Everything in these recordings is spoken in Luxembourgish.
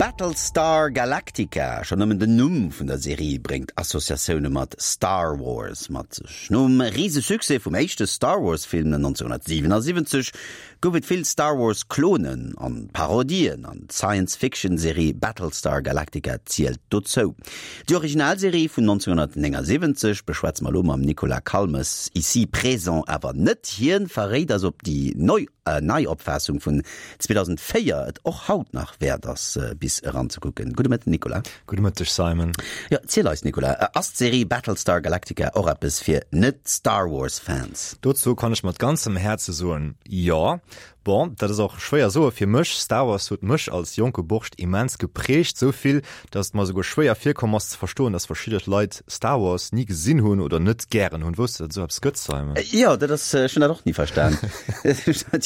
Battlestar Galactica, schonn nëmmen den Numm vun der Serie bréngt Associatioune mat Star Wars mat sech. Nom Risesuccès vum éischte Star Wars Film 1977 gouf et vill Star Wars Klonen an Parodien an d'Science Fiction Serie Battlestar Galactica zielt dozou. Déi Originalserie vun 1979 beschwätze mer elo mam Nicolas Calmes, ici présent awer net. Hien verréit eis op déi nei Neiopfaassung vun 2004 et och haut nach wäert ass bis eranzekucken. Gudde Mëtten Nicolas. Gudde Mëtteg Simon. Jo, ziel eis Nicolas, ass d'Serie Battlestar Galactica och eppes fir net-Star Wars Fans? Dozou kann ech mat ganzem Häerze soen, jo. Bon, dat ass och schwéier soe fir mech, Star Wars huet mech als jonke Borscht immens geprägt, sou vill, dass et mer esouguer schwéier virkomm ass ze verstoen, dass verschidde Leit Star Wars ni gesinn hunn oder net gären hunn. Wousst de, datt et esou eppes gëtt, Simon? Jo, dat ass, ech hunn dat och ni verstan.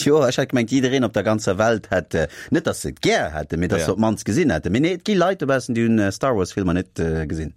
Jo, ech hat gemengt, jiddereen op der ganzer Welt hätt, net datt se et gär hätten, mee datt se op d'mannst gesinn hätten. Mee nee, et gi Leit dobaussen, déi hunn Star Wars Filmer net gesinn.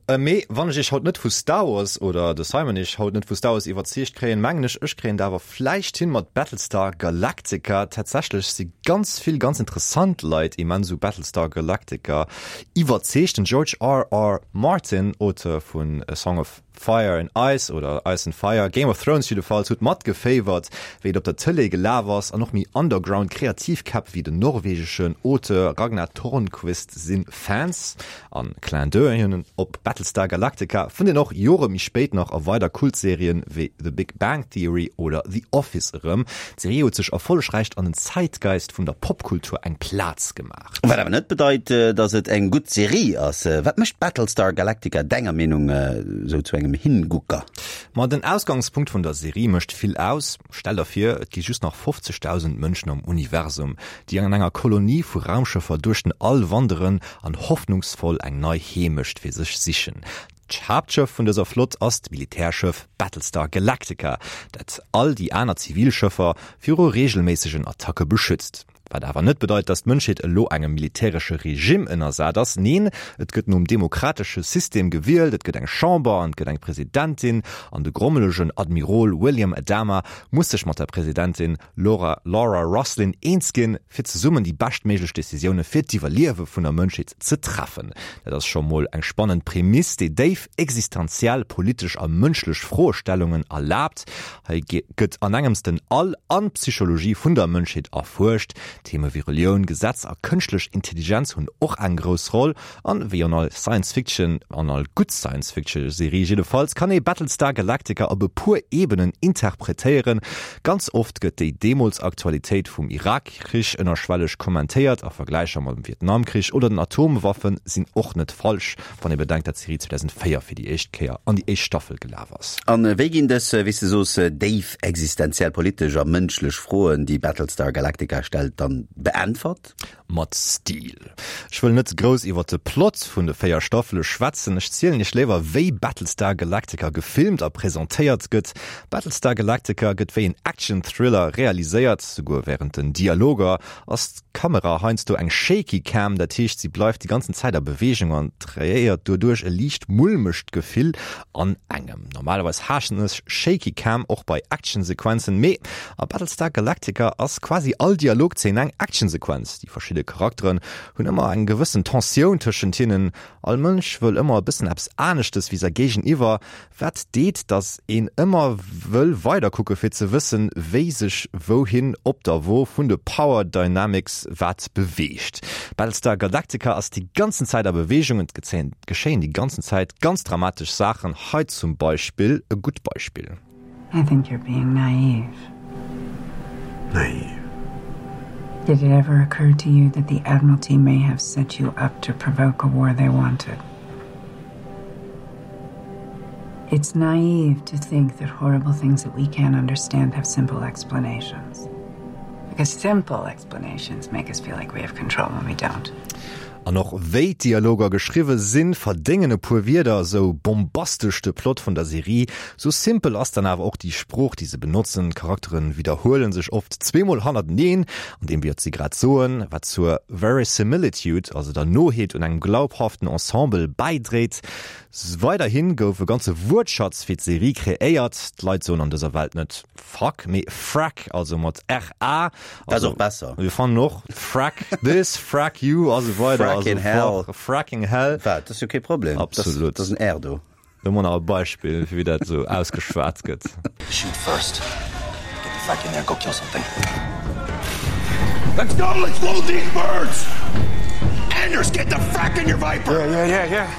Mee wann ech iech haut net vu Star Wars, oder de Simon iech haut net vu Star Wars iwwerzeegt kréien, mengen ech, ech kréien et awer vläicht hin mat Battlestar Galactica. Tatsächlech si ganz vill ganz interessant Leit immens u Battlestar Galactica iwwerzeegt. Den George RR Martin, Auteur vun A Song of Fire and Ice oder Ice and Fire, Game of Thrones jiddefalls, huet matgeféiwert, wéi et op der Tëlee gelaf ass, an och méi underground kreativ Käpp wéi den norwegeschen Auteur Ragnar Tornquist si Fans. An Clin d'oeil op Battlestar Galactica fënnt een och Jore méi spéit nach a weider Kultserien wéi The Big Bang Theory oder The Office erëm. D'Serie huet sech erfollegräicht an den Zeitgeist vun der Popkultur eng Plaz gemaach. Wat awer net bedeit, dass et eng gutt Serie ass. Wat mécht Battlestar Galactica denger Meenung sou zu engem Hingucker? Ma den Ausgangspunkt vun der Serie mécht vill aus. Stell der vir, et gi just nach 50.000 Mënschen am Universum, déi an enger Kolonie vu Raumschëffer duerch den All wanderen an hoffnungsvoll eng nei Heemecht fir sech sichen. D'Haaptschëff vun dëser Flott ass d'Militärschëff Battlestar Galactica, dat all déi aner Zivilschëffer viru reegelméissegen Attacke beschützt. Wat awer net bedeit, datt d'Mënschheet elo engem militäresche Regime ënnersat ass. Neen, et gëtt nom demokratesche System gewielt, et gëtt eng Chamber an et gëtt eng Presidentin, an de grommelegen Admirol William Adama muss sech mat der Presidentin Laura Laura Roslin eens ginn, fir zesummen déi beschtméiglech Decisioune fir d'Iwwerliewe vun der Mënschheet ze treffen. Dat ass scho mol eng spannend Prämiss, déi déif existenziell, politesch a mënschlech Froestellungen erlaabt. Hei gëtt an engems den All an d'Psychologie vun der Mënschheet erfuerscht. Theme wéi Relioun, Gesetz a kënschtlech Intelligenz hunn och eng grouss Roll. An wéi an all Science Fiction, an all gutt Science Fiction Serie jiddefalls, kann ee Battlestar Galactica op e puer Ebenen interpretéieren. Ganz oft gëtt déi deemools Aktualitéit vum Irak-Krich ënnerschwelleg kommentéiert a Vergläicher mam Vietnamkrich oder den Atomwaffe sinn och net falsch. Wann ee bedenkt, dat d'Serie 2004 fir déi éischt Kéier an déi éischt Staffel gelaf ass. An wéi ginn dës, wéi s de soos, déif existenziell, politesch a mënschlech Froen, déi Battlestar Galactica stellt, dann beäntwert? Mat Stil. Ech wëll net grouss iwwer de Plot vun de 4 Staffele schwätzen, ech zielen iech léiwer, wéi Battlestar Galactica gefilmt a presentéiert gëtt. Battlestar Galactica gëtt wéi en Action-Thriller realiséiert, souguer wärend den Dialoger ass D'Kamera, heiansdo eng shaky cam, dat heescht si bleift déi ganzen Zäit a Beweegung an kreéiert doduerch e liicht mulmegt Gefill an engem. Normalerweis haassen ech shaky cam och bei Actionsequenzen, mee a Battlestar Galactica ass quasi all Dialogzeen eng Actionsequenz. Déi verschidde Charakteren hunn ëmmer eng gewëssen Tensioun tëschent hinnen, all Mënsch wëll ëmmer e bëssen eppes aneschtes wéi säi Géigeniwwer, Wat deet, dass een ëmmer wëll weiderkucke fir ze wëssen, wéi sech wouhin op der Wo vun de Power Dynamics wat beweegt. Battlestar Galactica ass déi ganzen Zäit a Beweegung, et geschéien déi ganzen Zäit ganz dramatesch Saachen, hei zum Beispill e gutt Beispill. I think you're being naive. Naive? Did it ever occur to you that the Admiralty may have set you up to provoke a war they wanted? It's naive to think that horrible things that we can't understand have simple explanations. Because simple explanations make us feel like we have control when we don't. An och wéi d'Dialoger geschriwwe sinn, verdéngen e puer Wierder. Sou bombastesch de Plot vun der Serie, sou simpel ass dann awer och déi Sprooch, déi se benotzen. D'Charaktere widderhuele sech oft zweemol hannerteneen an deem, wat si grad soen, wat zur Verisimilitude, also der Noheet un engem glaubhaften Ensemble, bäidréit. Weiderhi gouf e ganze Wuertschatz fir d'Serie kreéiert. D'Leit soen an dëser Welt net Fuck, mee Frack, also mat r-a. Dat ass och besser. Mir fannen och Frack this, Frack you a sou weider a sou Fracking hell. fort. Fracking hell. Wat? Dat ass jo kee Problem. Absolut. Dat ass en R do. Do mol nach e Beispill, fir wéi dat esou ausgeschwat gëtt. Shoot first. Get the frack in there and go kill something. Let's go, let's load these birds! Anders, get the frack in your Viper! Yeah, yeah, yeah, yeah.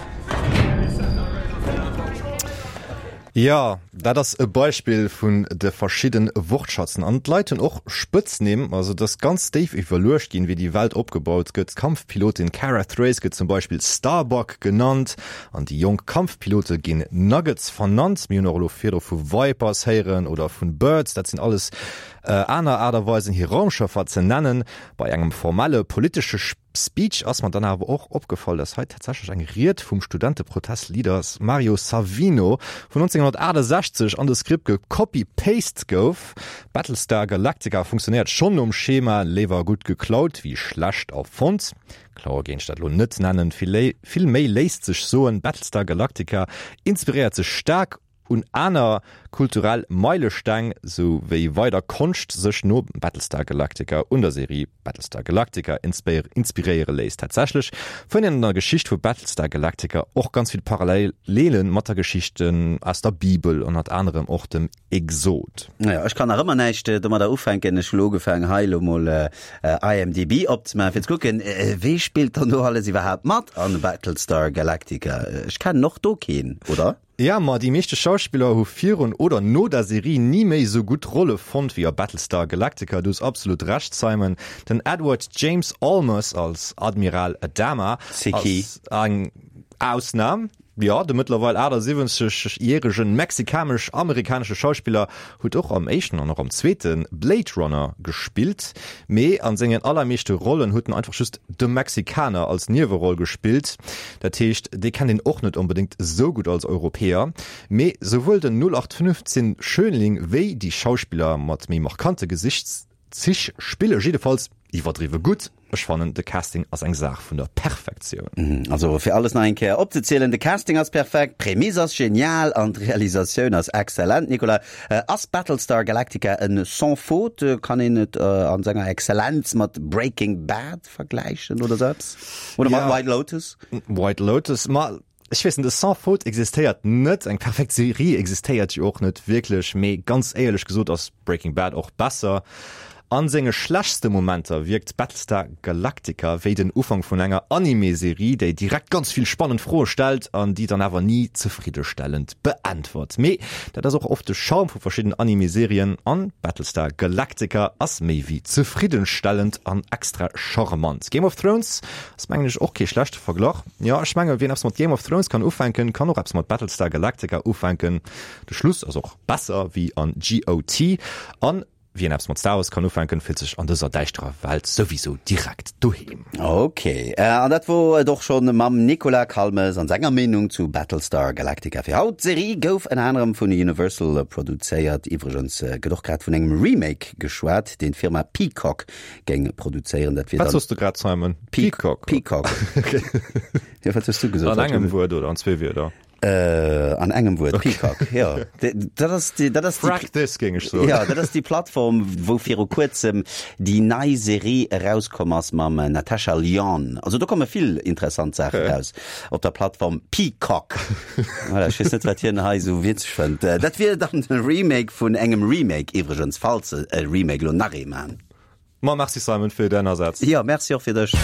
Jo, dat ass e Beispill vun de verschidden Wortschatzen. An d'Leit hunn och Spëtznimm. Also et ass ganz déif iwwerluecht ginn, wéi déi Welt opgebaut gëtt. D'Kampfpilotin Kara Thrace gëtt zum Beispill Starbuck genannt an déi jonk Kampfpilote ginn Nuggets vernannt. Mir hunn och elo virdru vu Vipers héieren oder vun Birds. Dat sinn alles aner Aart a Weisen, hir Raumschëffer ze nennen. Bei engem formelle politesche Speech ass mer dann awer och opgefall, dass hei tatsächlech eng Ried vum Studenteprotest-Leader Mario Savino vun 1968 an de Skript gecopy-paste gouf. Battlestar Galactica funktionéiert schonn nom Schema léiwer gutt geklaut wéi schlecht erfonnt. Klaue géint ech dat elo net nennen, vill méi léisst sech soen, Battlestar Galactica inspiréiert sech staark un aner kulturell Meilesteng, sou wéi weider Konscht sech no Battlestar Galactica un der Serie Battlestar Galactica inspiréiere léisst. Tatsächlech fënnt een an der Geschicht vu Battlestar Galactica och ganz vill Parallele mat der Geschichten aus der Bibel, ënnert anerem och dem Exod. Naja, ech kann nach ëmmer näischt domadder ufänken. Ech hu lo ugefaangen hei lo mol IMDb opzemaachen fir ze kucken, wee spillt dann do alles iwwerhaapt mat an Battlestar Galactica. Ech kennen och do keen, oder? Ja, ma déi meeschte Schauspiller hu virun oder no der Serie ni méi esou gutt Rolle fonnt wéi a Battlestar Galactica. Du hues absolut Recht, Simon. Den Edward James Olmos als Admiral Adama ass eng Ausnam. Jo, de mëttlerweil 78 järegen mexikanesch-amerikanesche Schauspiller huet och am éischten an och am zweete Blade Runner gespillt, mee an sengen allermeeschte Rollen huet en einfach just de Mexikaner als Nieweroll gespillt. Dat heescht, dee kennt een och net onbedéngt esou gutt als Europäer. Mee souwuel den 0815 Schönling wéi déi Schauspiller mat méi markante Gesichtszich spille jiddefalls iwwerdriwwe gutt. Ech fannen, de Casting ass eng Saach vun der Perfektioun. Also fir alles nach eng Kéier opzezielen, de Casting ass perfekt, d'Prämisse ass genial an d'Realisatioun ass exzellent. Nicolas, ass Battlestar Galactica en sans faute? Kann een et an senger Exzellenz mat Breaking Bad vergläichen oder sou eppes? Oder mat White Lotus? White Lotus, ma ech weess net, e sans faute existéiert net, eng perfekt Serie existéiert jo och net wierklech, mee ganz éierlech gesot ass Breaking Bad och besser. An senge schlechtste Momenter wierkt Battlestar Galactica wéi den Ufank vun enger Anime-Serie, déi direkt ganz vill spannend Froe stellt an déi dann awer ni zefriddestellend beäntwert. Mee dat ass och oft de Charme vu verschidden Anime-Serien an Battlestar Galactica ass méi wéi zefriddenstellend an extra charmant. Game of Thrones ass mengen ech och kee schlechte Verglach. Jo, ech menge wien eppes mat Game of Thrones kann ufänken, kann och eppes mat Battlestar Galactica ufänken. De Schluss ass och besser wéi an GOT an Wien eppes mat Star Wars kann ufänken, fillt sech an dëser däischterer Welt souwisou direkt doheem. Ok, an dat wor et och schonn mam Nicolas Calmes an senger Meenung zu Battlestar Galactica fir haut. D'Serie gouf ënner anerem vun Universal produzéiert. Iwwregens gëtt och grad vun engem Remake geschwat, deen d'Firma Peacock géing produzéieren. Dat wier dann. Wat soss de grad, Simon? Peacock? Peacock. Jo, wat hues du gesot? An engem Wuert oder an zwee Wierder? Äh, an engem Wuert, okay. Peacock, ja. Dat ass déi, dat ass déi, Frack this, géing ech soen. Ja, dat ass déi Plattform, wou viru kuerzem déi nei Serie erauskomm ass mam Natasha Lyonne. Also do komme vill interessant Saachen okay. raus op der Plattform Peacock. Voilà, ech weess net, wat hien hei esou witzeg fënnt. Dat wier dann de Remake vun engem Remake iwwregens, falls se e Remake elo nach ee man. Ma merci Simon fir däin Asaz. Jo, merci och fir dech.